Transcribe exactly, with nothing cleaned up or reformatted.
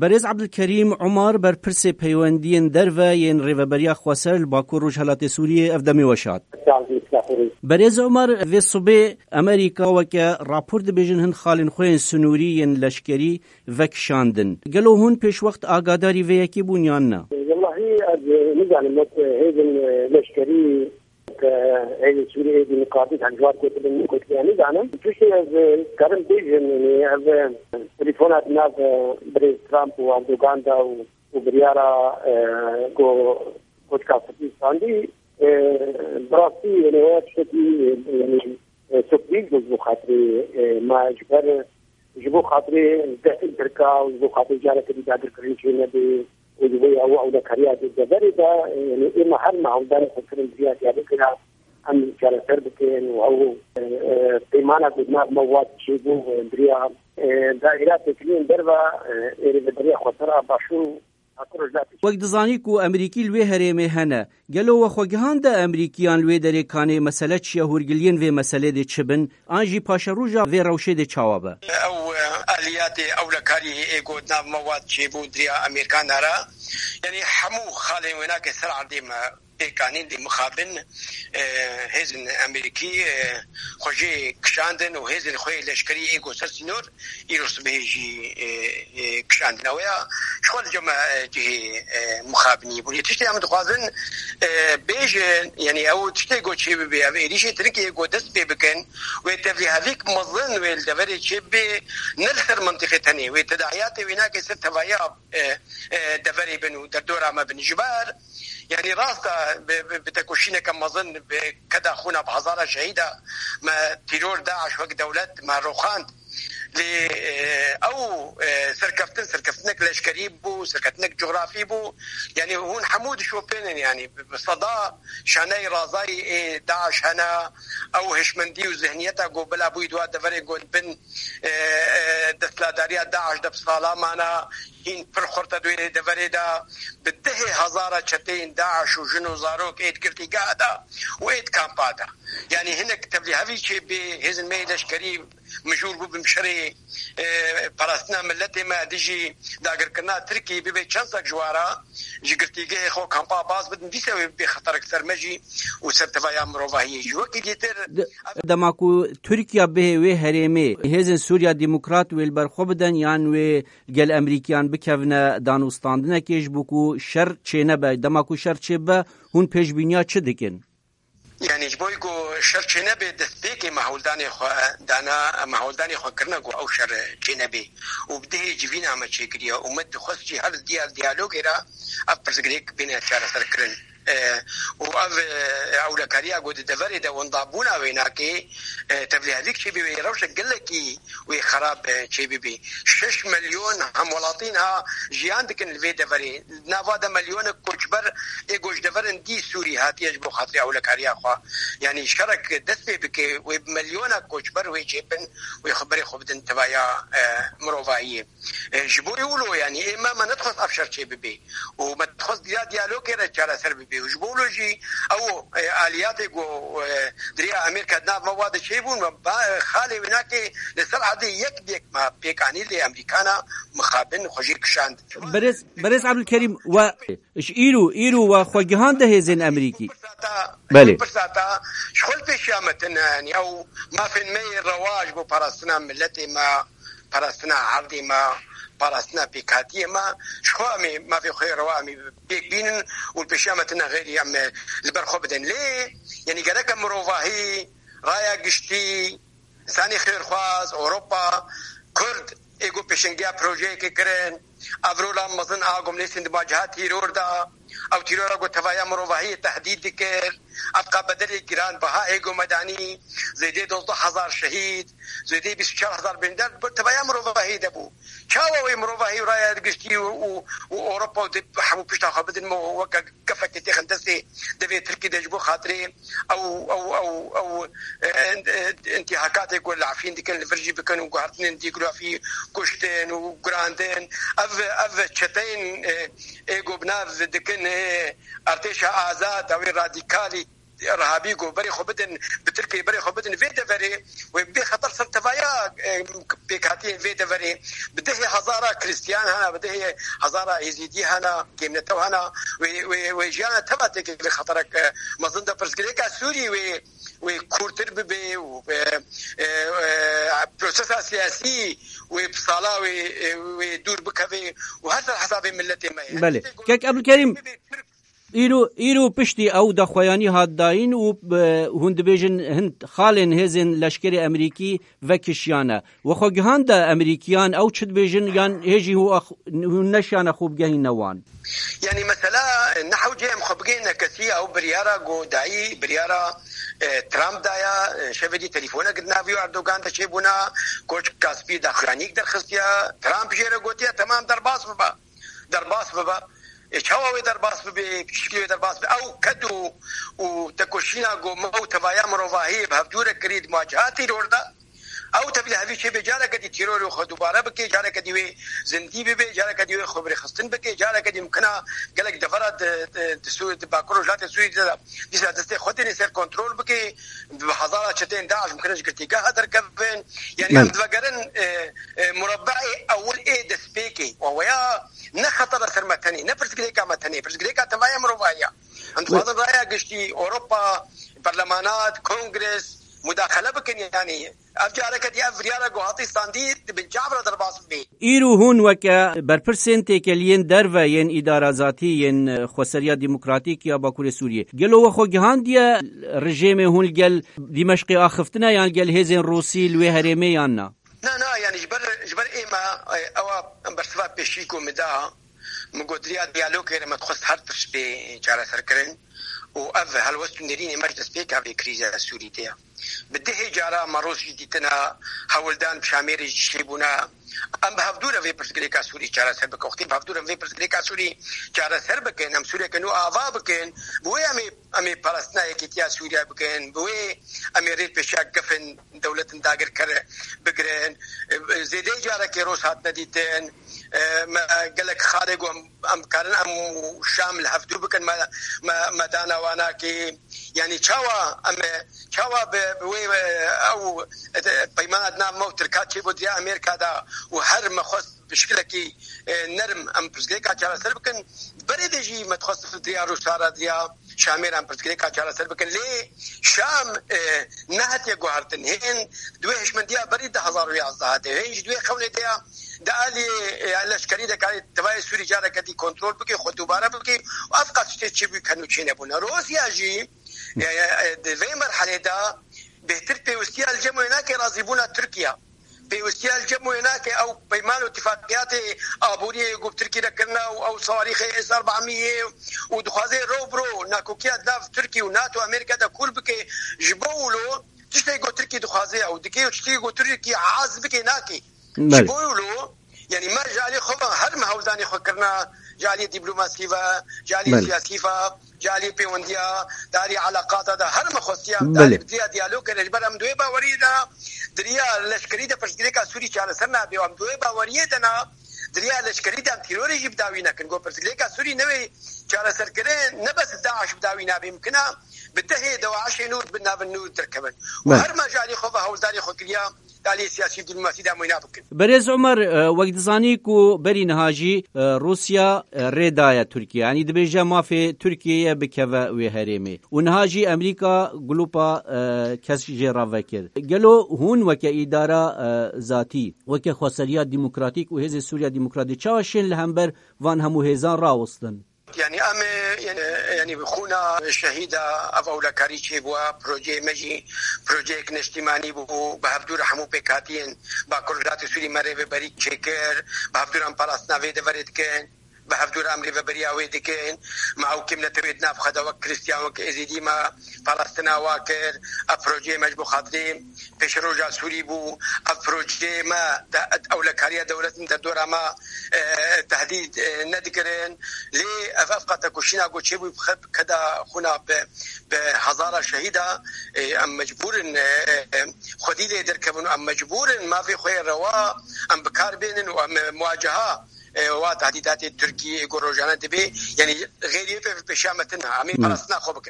Berêz Ebdulkerîm Umar, berpirsê peywendiyên derve yên Rêveberiya Xweser li Bakur Rojhelatê Sûriyê, ev demê weş hat. Sağ olun, estağfurullah. Berêz Umar, vê sibê Amerîka weke rapor dibêjin hin xalên xwe yên sinûrî yên leşkerî vekişandin. Gelo hûn pêşwext agadarî vê yekê bûn yan na? Wellahî ez, e, nizanim wek, e, hêzên, e, leşkerî ke hêzên Sûriyê êdî miqabîl hevjwar gotibin, min gotiye nizanim. Tiştê ez, e, karim bêjim, yanî ev, e, telefona di nav, e, birêz Trump û Erdogan de û, û biryara, e, ku koçka spî standî, e, bi rastî, yanî, waya tiştekî, e, yanî, e, surprîz bû ji bo xatirê, e, me ji ber, ji bo xatirê destên Tirka û ji bo xatirê careke dî dagirkirin çê nebe û ji bo ya ew ewlekariya di deverê de, e, yanî ême her me hewldanê xwe kirin, biriya diyalogê re em çareser bikin û ew, e, e, peymana ku di nav me wan çêbû, e, biriya, e, daîra têkiliyên derve, e, ê rêveberiya xweser a Başûr Wek dizanî ku Emerîkî li wê herêmê hene, gelo we xwe gihande Emerîkiyan li wê derê kanê mesele çi ye, hûrgiliyên vê meselê dê çi bin, an jî paşeroja vê rewşê dê çawa be? Ew, e, aliyatê ewlekarî ê ku di nav me wa çêbû di riya Amerîkana re, yanî hemû xalên wênakê ser erdê me pêk anîn, dê mixabin, e, hêzên Amerîkî, e, xwe jê kişandin û hêzên xwe yê leşkerî ê ku ser sînor îro sibehê jî, e, e, kişandine. Wê ya ji xwe li cem, e, cihê, e, mixabiniyê bûn. Yê tiştê em dixwazin, e, bêjin, yanî ew tiştê ku çê bibe, ev êrîşê Tirkiyê ku dest pê bikin, wê tevlîhevîk mezin wê li deverê çê bibe, ne li ser mentiqê tenê, wê tedahiyatê wênakê ser tevaya, e, e, deverê bin û derdora me bin. Ji ber, yanî rast e, bi, bi, bi tekoşîneke mezin, bi keda xûna bi hezara şehîda me tîror DAIŞ wek dewlet me roxand. Lê, e, ew, e, serkeftin, serkeftinek leşkerî bû, serkeftinek cografî bû. Yanî hûn hemû dişopênin, yanî bi, bi seda şaneyê razayî ê DAIŞ hene, ew hişmendî û zihniyeta ku bila bûyî di wa deverê ku di bin, e, e, desthilatdariya DAIŞ de bi sala mane, hîn pir xurt e di wê deverê de, bi dehê hezara çeteyên DAIŞ û jin û zarok ê di girtîgeha de û ê di kampa de. Yanî hinek tevlîhevî çê bê, hêzên me yê leşkerî mijûl bûbin bi şerê, e, parastina miletê me dijî dagirkirina Tirkiyê, bibe çend sek ji wara ji girtîgehê xwe kampa baz bidin, dîsa wê bibê xeterek ser me jî û ser tevaya mirovahiyê jî. Wekî dîtir, De-, dema ku Tirkiya bihê wê herêmê, hêzên Sûriya Demokrat wê li ber xwe bidin yan wê gel Emerîkiyan bikevine danûstandinekê ji bo ku şer çênebe. Dema ku şer çêbibe, hûn pêşbîniya çi dikin? Yanî ji bo ku şer çênebe, destpêkê me hewldanê xwe dana, me hewldanê xwe kirine ku ew şer çênebe. Û bi dihê civîna me çêkiriye û me dixwest jî her diya-, diyalogê re ev pirsgirêk bêne çareserkirin. E, û ev, e, ewlekariya ku di deverê de wendabûna wênakê, e, tevlîhevîk çêbî wê rewşek gelekî wê xerab, e, çêbibî. Şeş milyon hemwelatî niha jiyan dikin li vê deverê. Di nava de milyonek koçber ê ku ji deverên dî Sûrî hatiye ji bo xatirê ewlekariya xwe. Yanî şerek dest pê bike, wê bi milyonek koçber wê çêbin, wê xwe berê xwe bidin tevaya, e, mirovahiyê. E, ji bo wilo, yanî ê me, me nedixwest ev şer çê bibe. Û me dixwest diya diyalogê re çareser bibe. Û ji bo wilo jî ew, e, aliyatê ku, e, di riya Amerîka di nav me wa de çêbûn, me ba-, xalê wênakê li ser erdê yek bi yek me pêk anî, lê Amerîkana mixabin xwe jê kişand. Berêz, Berêz Ebdulkerîm, we ji îro, îro we xwe gihande hêzên Amerîkî? Belê. Pirsata, ji xwe li pêşiya me tune, yanî ew mafên me yê rewa ji bo parastina miletê me, parastina erdê me, parastina pêkhatiyê me, ji xwe em ê mafê xwe yê rewa em ê pêk bînin û li pêşiya me tune, xeyrî em li ber xwe bidin. Lê, yanî gerek em mirovahî, raya giştî, însanê xêrxwaz, Ewropa, Kurd, ê ku pêşengiya projeyekê kirin, ev rola mezin a ku em lê sindima ciha tîror da, ew tîrora ku tevaya mirovahiyê tehdîd dikir, ev qa bedelê giranbiha ê ku me danî, zêdê dozdeh hezar şehîd, zêdê bîst û çar hezar birîndar bi tevaya mirovahiyê de bû. Çawa wê mirovahî û raya giştî û, û, û Ewropa û di hemû pişta xwe bidin me weke gefekê têxin destê devê Tirkî de ji bo xatirê ew, ew, ew, ew, e, e, intîhakatê ku li Efrîn dikin, li vir jî bikin û guhertinên dîgrafî, kuştin û girandin. Ev, ev çeteyên, e, ê ku bi nav dikin, e, Artêşa Azad, ew ê radîkalî Rehabî ku berê xwe bidin, bi Tirkiyê berê xwe bidin vê deverê, wê bê xeter ser tevaya, e, pêkhatiyên vê deverê. Bi dehê hezara Kristiyan hene, bi dehê hezara Êzîdî hene, kêmnetew hene. Wê, wê, wê jiyana teva têkevê xeterek, e, mezin de. Pirsgirêka Sûrî wê, wê kûrtir bibe û, e, e, e, prosesa siyasî wê bi sala wê, e, wê dûr bikeve û her ser hesabê miletê me ye. Belê. Kek Ebdulkerîm, Îro, îro piştî ew daxuyanî hat dayîn û, e, hûn dibêjin hin xalên hêzên leşkerê Emerîkî vekişiyane. We xwe gihande Emerîkiyan ew çi dibêjin yan hê jî hû ax-, hûn neşiyane xwe bigehîne wan? Yanî mesela, e, ne hewce em xwe bigehîne kesî, ew biryara ku dayî, biryara, e, Trump daya, e, şevê dî telîfonek di nav wî û Erdogan de çêbûna, koçka spî daxuyanîk derxistiya, Trump jê re gotiye, temam derbas bibe. Derbas bibe. E, çawa wê derbas bibe, piştî wê derbas bibe? Ew ked û, û tekoşîna ku me û tevaya mirovahiyê bi hevdû re kirî di muwaceha teror de. Ew tevî li hevî çêbe, careke dî terorê xwe dubare bike, careke dî wê zindî bibe, careke dî wê xwe birêxistin bike, careke dî mimkina gelek devera di, di, di Sû-, di Bakur Rojhilatê Sûriyê de dîsa destê xwe têne ser kontrol bike, bi hezara çeteyên DAIŞ mimkine ji girtîgeha derkevin. Yanî em Belê. divegerin, e, e, murabbeê ewil ê destpêkê. Û weya ne xeter e ser me tenê, ne pirsgirêka me tenê, pirsgirêka tevaya mirovahiya. Em dixwazin raya giştî, Ewropa, berlemanat, kongres, mudaxele bikin, yanî ev careke dî ev biryara ku hatî standî di bin çav re derbas bibê. Îro hûn weke berpirsên têkeliyên derve yên îdara zatî yên, e, Xweseriya Demokratîk ya Bakurê Sûriyê, gelo we xwe gihandiye rejêmê hûn li gel Dîmeşqê axiftine yan li gel hêzên Rûsî li wê herêmê yan na? Na, na, yanî ji ber, ji ber ême, e, ewa bersiva pêşî ku min da, min got, riya diyalogê re me dixwest her tişt bê çareserkirin û ev helwest û nêrînê me ji destpêka vê krîza Sûrî de ye. Bi dehê cara me roj jî dîtina hewldan bi Şamêrê jî çêbûna. Em bi hevdû re vê pirsgirêka Sûrî çareser bikin. Wextê bi hevdû re em vê pirsgirêka Sûrî çareser bikin, em Sûriyeke nû ava bikin, bi wê em ê, em ê parastina yekîtiya Sûriye bikin, bi wê em ê rê pêşiya gefin dewletin dagirker bigirin. Zêdeyî carekê roj hatine dîtin. Me gelek xalê ku em, em karin em û Şam li hevdû bikin, me, me, me dana wanakê. Yanî çawa em, çawa bi, bi wê, ew, e, peymana di nav me û Tirka çêbû diya Amerîka de û her me xwest bi şikilekî, e, nerm em pirsgirêka çareser bikin. Berê de jî me dixwest diya Rûsa re, diya Şamê re em pirsgirêka çareser bikin. Lê Şam, e, nehatiye guhertin. Hên di wê hişmendiya berî du hezar û yazdeh de, hên jî di wê xewnê de ya, di alî, e, leşkerî de karê tevayê Sûrî careke dî kontrol bike, xwe dubare bike û ev qas tiştê çêbû kenû çênebûne. Rûsya jî, e, e, di vê merhelê de bêhtir pêwistiya li cem wê nake razîbûna Tirkiye. Pêwistiya li cem wê nake ew peyman û tifaqiyatê aboriyê ku bi Tirkî re kirine û ew sawarîxê S erbamiyê û dixwaze ro bi ro nakokiya di nav Tirkî û NATO Amerîka de kûr bike. Ji bo wilo tiştê ku Tirkî dixwaze ew dike û tiştê ku Tirkî hez bike nake. Ji Belê. bo wilo, yanî me ji alî xwe ve her me hewldanê xwe kirina, ji alî dîplomasî ve, ji alî Belê. siyasî ve, ji alî pêwendiya, di alî eleqata de her me xwestiya, em di Belê. alî bi diya diyalog kire. Ji ber em di wê baweriyê de, di riya leşkerî de pirsgirêka Sûrî çareser nabe û em di wê baweriyê de ne, di riya leşkerî de em terorê jî bi dawî nekin. Got pirsgirêka Sûrî newê çareserkirin, ne bes DAIŞ bi dawî nabe, mimkina bi dehê DAIŞê nû bi navin nû derkevin. Û Belê. her me ji alî xwe ve hewldanê xwe kiriya, di alî siyasî û dîplomasî de em wêna bikin. Berêz Omer, e, wek dizanî ku berî niha jî, e, Rûsya, e, rê daye Tirkiye. Yanî dibêje mafê Tirkiyeyê bikeve wê herêmê. Û niha jî Amerîka glupa, e, kes jê re vekir. Gelo hûn weke îdara, e, zatî, weke Xweseriya Demokratîk û Hêzê Sûriya Demokratîk çawa şên li hember van hemû hêzan rawestin? Yanî em ê, yanî, yanî bi xûna şehîda ev ewlekarî çêbûye, projeyê me jî projeyek neştîmanî bû, bi hevdû re hemû pêkhatiyên Bakur Rojhilatê Sûrî me rêveberî çêkir, bi hevdû re em parastina vê deverê dikin, bi hevdû re em rêveberiya wê dikin. Me ew kêmnetewê di nav xwe de wek Kristiyan, wek Êzîdî me parastina wa kir. Ev projeyê me ji bo xatirê pêşeroja Sûrî bû. Ev projeyê me de ewlekariya dewletin derdora me, e, tehdîd, e, nedikirin. Lê ev, ev qetekoşîna ku çêbû bi xe-, bi keda xwina bi, bi hezara şehîda, e, em mecbûr in, e, e, xwedî lê derkevin û em mecbûr in mafê xwe yê rewa em bi kar bênin û em, e, muwaceha, e, wa tehdîdatê Tirkiyê ku rojane dibe, yanî xêriyê pê, pêşiya me tune, em ê Hmm. parastina xwe bikin.